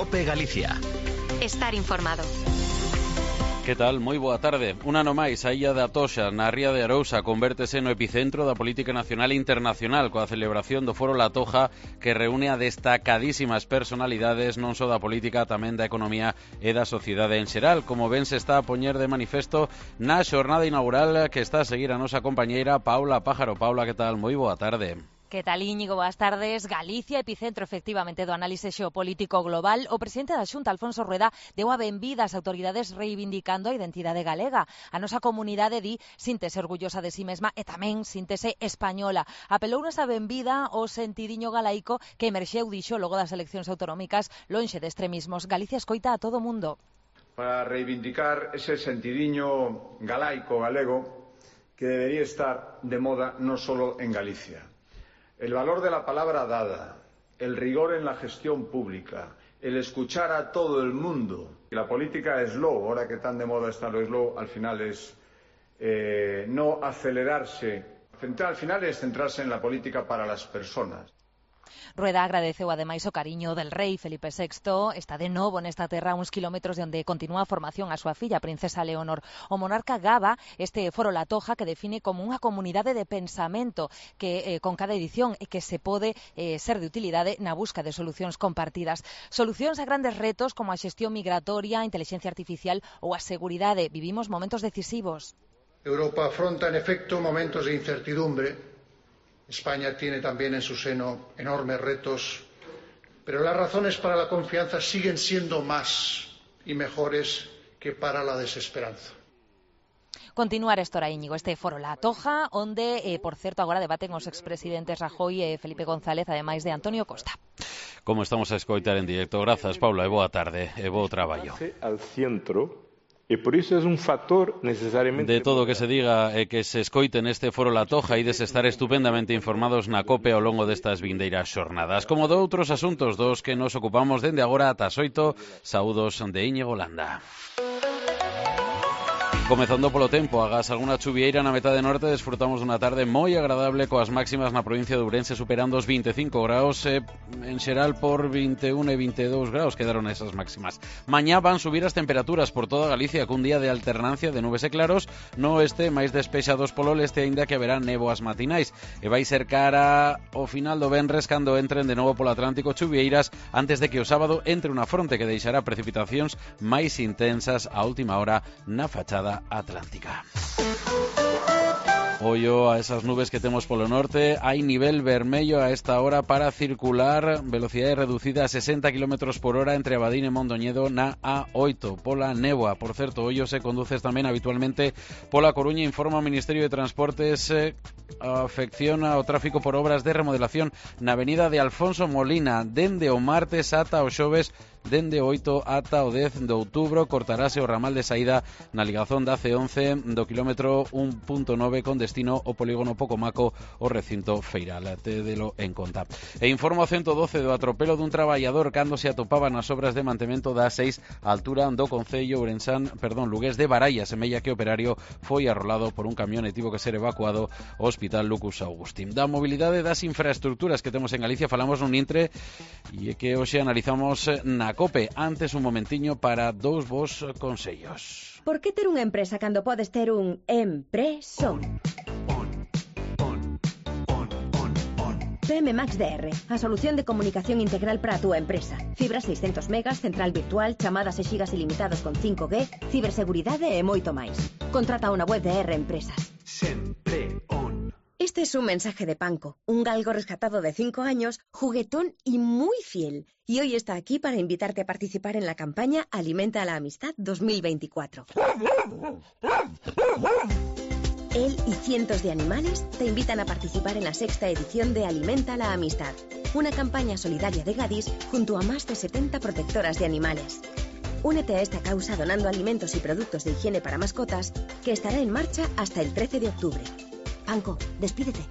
COPE Galicia. Estar informado. Que tal? Moi boa tarde. Un ano máis, a Illa da Toxa, na ría de Arousa, convértese no epicentro da política nacional e internacional coa celebración do Foro La Toja, que reúne a destacadísimas personalidades non só da política, tamén da economía e da sociedade en xeral, como ben se está a poñer de manifesto na xornada inaugural que está a seguir a nosa compañeira Paula Pájaro. Paula, que tal? Moi boa tarde. Que tal, Íñigo? Boas tardes. Galicia, epicentro efectivamente do análise xeopolítico global. O presidente da Xunta, Alfonso Rueda, deu a benvida ás autoridades reivindicando a identidade galega. A nosa comunidade di síntese orgullosa de si mesma e tamén síntese española. Apelou nesa benvida o sentidiño galaico que emerxeu, dixo, logo das eleccións autonómicas, lonxe de extremismos. Galicia escoita a todo o mundo. Para reivindicar ese sentidiño galaico galego que debería estar de moda non solo en Galicia. El valor de la palabra dada, el rigor en la gestión pública, el escuchar a todo el mundo. La política slow, ahora que tan de moda está lo slow, al final es no acelerarse. Al final es centrarse en la política para las personas. Rueda agradeceu ademais o cariño del rei Felipe VI, está de novo nesta terra a uns kilómetros de onde continúa a formación a súa filla, princesa Leonor. O monarca gaba este Foro La Toja que define como unha comunidade de pensamento que con cada edición que se pode ser de utilidade na busca de solucións compartidas. Solucións a grandes retos como a xestión migratoria, a intelixencia artificial ou a seguridade. Vivimos momentos decisivos. Europa afronta en efecto momentos de incertidumbre. España tiene también en su seno enormes retos, pero las razones para la confianza siguen siendo más y mejores que para la desesperanza. Continuar estora, Íñigo, este Foro La Toja, onde, por certo, agora debaten os expresidentes Rajoy e Felipe González, ademais de Antonio Costa. Como estamos a escoitar en directo. Grazas, Paula, e boa tarde, e bo traballo. Al centro. E por iso é un factor necesariamente... De todo o que se diga e que se escoite neste Foro La Toja, ides estar estupendamente informados na COPE ao longo destas vindeiras xornadas. Como de outros asuntos dos que nos ocupamos dende agora ata as 8, saúdos de Íñigo Landa. Comezando polo tempo, agás algunha chuvieira na metade norte, desfrutamos dunha tarde moi agradable coas máximas na provincia de Ourense superando os 25 graus, en xeral por 21 e 22 graus quedaron esas máximas. Mañá van subir as temperaturas por toda Galicia cun día de alternancia de nubes e claros, no oeste máis despexados polo leste, aínda que haberá néboas matinais, e vai ser cara ao final do venres cando entren de novo polo Atlántico chuvieiras antes de que o sábado entre unha fronte que deixará precipitacións máis intensas a última hora na fachada atlántica. Ollo a esas nubes que temos polo norte. Hai nivel vermello a esta hora para circular, velocidade reducida a 60 km por hora entre Abadín e Mondoñedo na A8 pola néboa. Por certo, ollo se conduces tamén habitualmente pola Coruña, informa o Ministerio de Transportes, afecciona o tráfico por obras de remodelación na avenida de Alfonso Molina dende o martes ata o xoves. Dende o 8 ata o 10 de outubro cortarase o ramal de saída na ligazón da C11 do kilómetro 1.9 con destino ao polígono Pocomaco o recinto feiral. Tédelo en conta. E informo a 112 do atropelo dun traballador cando se atopaba nas obras de mantemento da 6 a altura do concello Lugués de Baralla. Semella que o operario foi arrolado por un camión e tivo que ser evacuado ao Hospital Lucus Augustín. Da mobilidade das infraestructuras que temos en Galicia falamos nun intre e que hoxe analizamos na COPE. Antes un momentiño para dous vos consellos. Por que ter unha empresa cando podes ter un empresón? PM Max DR, a solución de comunicación integral para a túa empresa. Fibra 600 megas, central virtual, chamadas e xigas ilimitados con 5G, ciberseguridade e moito máis. Contrata unha web de R Empresas. Sempre on. Este es un mensaje de Panko, un galgo rescatado de 5 años, juguetón y muy fiel. Y hoy está aquí para invitarte a participar en la campaña Alimenta la Amistad 2024. Él y cientos de animales te invitan a participar en la 6ª edición de Alimenta la Amistad, una campaña solidaria de Gadis junto a más de 70 protectoras de animales. Únete a esta causa donando alimentos y productos de higiene para mascotas, que estará en marcha hasta el 13 de octubre. Panko, despídete.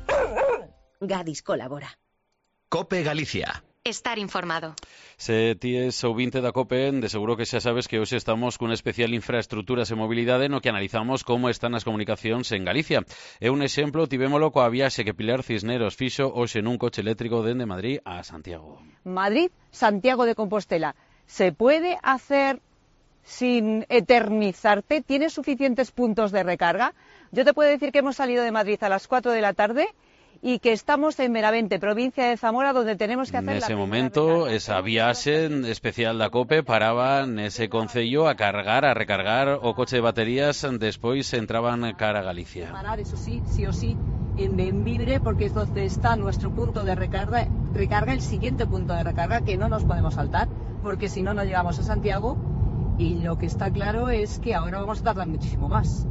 Gadis colabora. COPE Galicia. Estar informado. Se ti es ouvinte da COPE, de seguro que xa sabes que hoxe estamos cun especial infraestructuras e mobilidade no que analizamos como están as comunicacións en Galicia. E un exemplo tivémolo coa viaxe que Pilar Cisneros fixo hoxe nun coche eléctrico dende Madrid a Santiago. Madrid, Santiago de Compostela. ¿Se puede hacer sin eternizarte? ¿Tienes suficientes puntos de recarga? Yo te puedo decir que hemos salido de Madrid a las 4 de la tarde y que estamos en Benavente, provincia de Zamora, donde tenemos que hacer ese momento, esa viaxe especial da COPE paraba nese concello a cargar, a recargar o coche de baterías, despois entraban cara a Galicia. Parar, eso sí o sí, en Benvibre, porque es donde está nuestro punto de recarga, el siguiente punto de recarga, que no nos podemos saltar, porque si no, no llegamos a Santiago, y lo que está claro es que ahora vamos a tardar muchísimo más,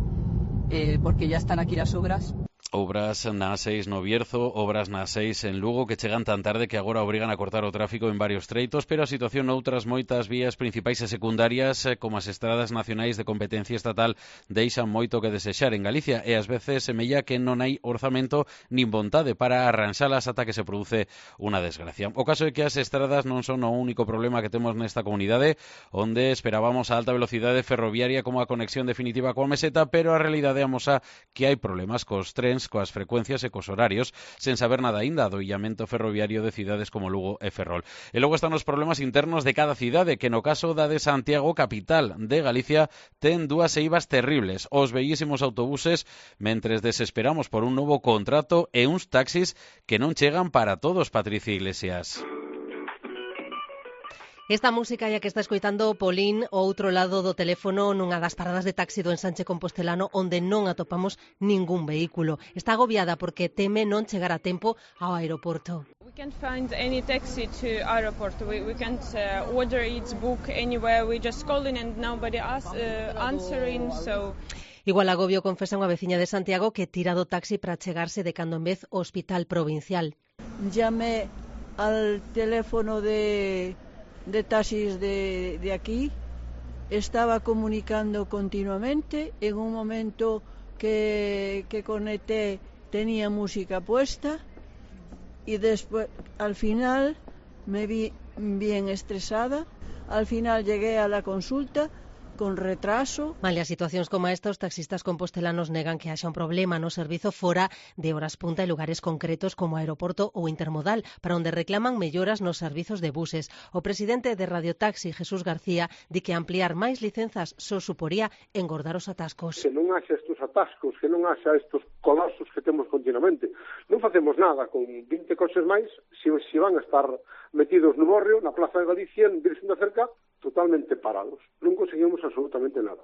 porque ya están aquí las obras. Obras na A6 no Bierzo, obras na A6 en Lugo que chegan tan tarde que agora obrigan a cortar o tráfico en varios treitos, pero a situación noutras moitas vías principais e secundarias, como as estradas nacionais de competencia estatal, deixan moito que desexar en Galicia e ás veces semella que non hai orzamento nin vontade para arranxalas ata que se produce unha desgracia. O caso é que as estradas non son o único problema que temos nesta comunidade, onde esperábamos a alta velocidade ferroviaria como a conexión definitiva coa meseta, pero a realidade amosa que hai problemas cos trens, coas frecuencias e cos horarios, sen saber nada aínda do illamento ferroviario de cidades como Lugo e Ferrol. E logo están os problemas internos de cada cidade, que no caso da de Santiago, capital de Galicia, ten dúas eivas terribles, os bellísimos autobuses, mentres desesperamos por un novo contrato e uns taxis que non chegan para todos, Patricia Iglesias. Esta música ya que está escoitando Polín ao outro lado do teléfono nunha das paradas de taxi do Ensanche Compostelano onde non atopamos ningún vehículo. Está agobiada porque teme non chegar a tempo ao aeroporto. We can't find any taxi to airport. We can't order its book anywhere. We just calling and nobody answering. So Igual agobio confesa unha veciña de Santiago que tira do taxi para chegarse de cando en vez ao hospital provincial. Llamé al teléfono de taxis de aquí, estaba comunicando continuamente, en un momento que conecté tenía música puesta y después al final me vi bien estresada, al final llegué a la consulta con retraso. Malia situacións como esta, os taxistas compostelanos negan que haxa un problema no servizo fora de horas punta e lugares concretos como aeroporto ou intermodal, para onde reclaman melloras nos servizos de buses. O presidente de Radio Taxi, Jesús García, di que ampliar máis licenzas só suporía engordar os atascos. Que non haxa estes atascos, que non haxa estes colapsos que temos continuamente. Non facemos nada con 20 coches máis se van a estar metidos no Borrio, na Plaza de Galicia, en Virxen da Cerca, totalmente parados. Non conseguimos absolutamente nada.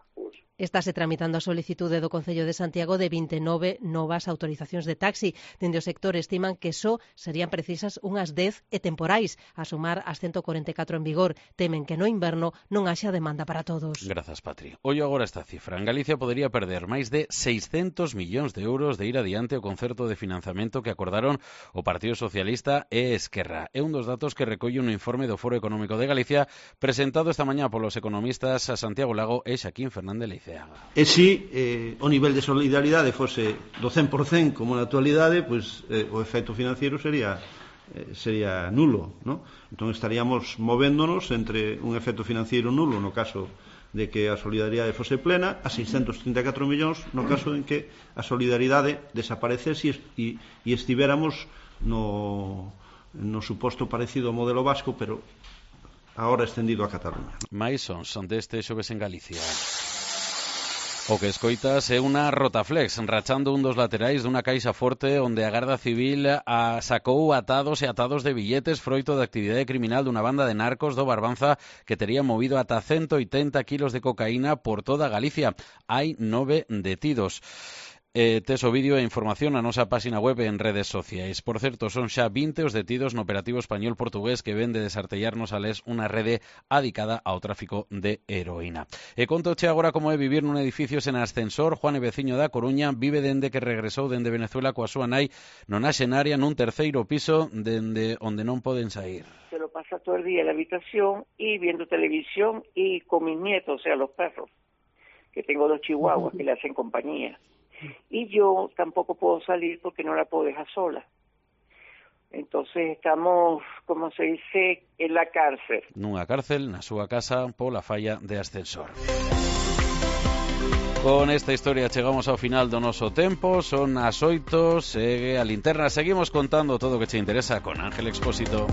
Estáse tramitando a solicitude do Concello de Santiago de 29 novas autorizacións de taxi. Dende o sector estiman que só serían precisas unhas 10 e temporais, a sumar as 144 en vigor. Temen que no inverno non haxa demanda para todos. Grazas, Patri. Ollo agora esta cifra. En Galicia podería perder máis de 600 millóns de euros de ir adiante o concerto de financiamento que acordaron o Partido Socialista e Esquerra. É un dos datos que recolle un informe do Foro Económico de Galicia presentado esta mañá polos economistas a Santiago Lago e Xaquín Fernández Leiceaga. E si o nivel de solidaridade fose do 100% como na actualidade, pois o efecto financiero sería nulo, ¿no? Entón estaríamos movéndonos entre un efecto financiero nulo no caso de que a solidaridade fose plena, a 634 millóns no caso en que a solidaridade desaparecese e estivéramos no suposto parecido ao modelo vasco, pero agora extendido a Cataluña. Mais son deste xoves en Galicia. O que escoitas é unha rotaflex rachando un dos laterais dunha caixa forte onde a Garda Civil sacou atados e atados de billetes froito da actividade criminal dunha banda de narcos do Barbanza que tería movido ata 180 kilos de cocaína por toda Galicia. Hai 9 detidos. Tes o vídeo e información na nosa página web en redes sociais. Por certo, son xa 20 os detidos no operativo español-portugués que ven de desartellarnos a les unha rede adicada ao tráfico de heroína. E contoche agora como é vivir nun edificio sen ascensor. Juan e veciño da Coruña vive dende que regresou dende Venezuela coa súa nai nona xenaria nun terceiro piso dende onde non poden sair. Se lo pasa todo el día en la habitación y viendo televisión y con mis nietos, o sea, los perros, que tengo 2 chihuahuas que le hacen compañía. Y yo tampoco puedo salir porque no la puedo dejar sola. Entonces estamos, como se dice, en la cárcel. Nunha cárcel, na súa casa, pola falla de ascensor. Con esta historia chegamos ao final do noso tempo. Son as 8, segue a linterna. Seguimos contando todo o que che interesa con Ángel Expósito.